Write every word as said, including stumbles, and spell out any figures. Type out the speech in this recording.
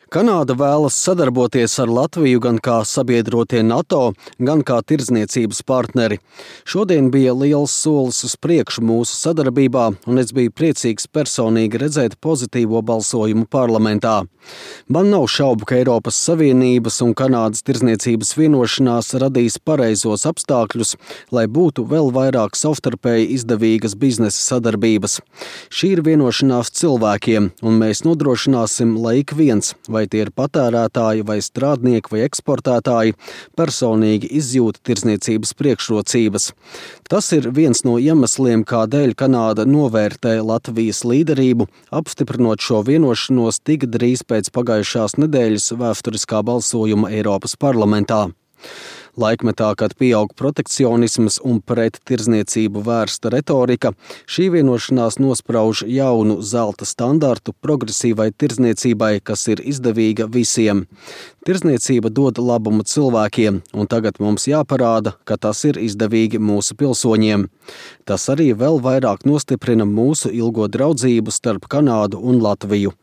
Kanāda vēlas sadarboties ar Latviju gan kā sabiedrotie NATO, gan kā tirdzniecības partneri. Šodien bija liels solis uz priekšu mūsu sadarbībā, un es biju priecīgs personīgi redzēt pozitīvo balsojumu parlamentā. Man nav šaubu, ka Eiropas Savienības un Kanādas tirdzniecības vienošanās radīs pareizos apstākļus, lai būtu vēl vairāk savstarpēji izdevīgas biznesa sadarbības. Šī ir vienošanās cilvēkiem, un mēs nodrošināsim, lai ik viens, vai tie ir patērētāji, vai strādnieki, vai eksportētāji, personīgi izjūta tirdzniecības priekšrocības. Tas ir viens no iemesliem, kādēļ Kanāda novērtē Latvijas līderību, apstiprinot šo vienošanos tik drīz pēc pagājušās nedēļas vēsturiskā balsojuma Eiropas parlamentā. Laikmetā, kad pieaug protekcionisms un pret tirdzniecību vērsta retorika, šī vienošanās nosprauž jaunu zelta standartu progresīvai tirdzniecībai, kas ir izdevīga visiem. Tirdzniecība dod labumu cilvēkiem, un tagad mums jāparāda, ka tas ir izdevīgi mūsu pilsoņiem. Tas arī vēl vairāk nostiprina mūsu ilgo draudzību starp Kanādu un Latviju.